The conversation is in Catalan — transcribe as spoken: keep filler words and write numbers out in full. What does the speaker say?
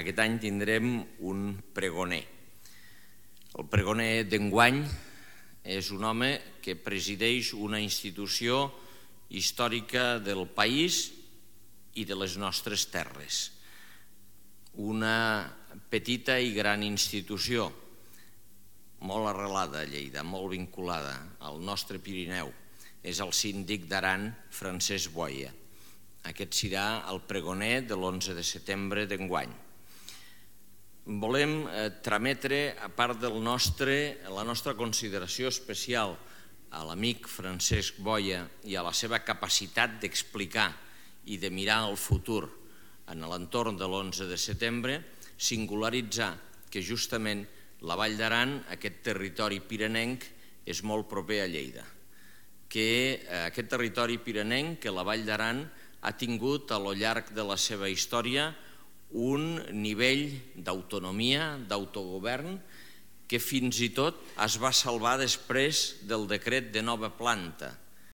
Aquest any tindrem un pregoner. El pregoner d'enguany és un home que presideix una institució històrica del país i de les nostres terres. Una petita i gran institució, molt arrelada a Lleida, molt vinculada al nostre Pirineu. És el síndic d'Aran, Francesc Boia. Aquest serà el pregoner de l'onze de setembre d'enguany. Volem trametre, a part de la nostra consideració especial a l'amic Francesc Boia i a la seva capacitat d'explicar i de mirar al futur en l'entorn de l'onze de setembre, singularitzar que justament la Vall d'Aran, aquest territori pirinenc, és molt proper a Lleida. Que aquest territori pirinenc, que la Vall d'Aran, ha tingut a lo llarg de la seva història un nivell d'autonomia, d'autogovern, que fins i tot es va salvar després del decret de nova planta,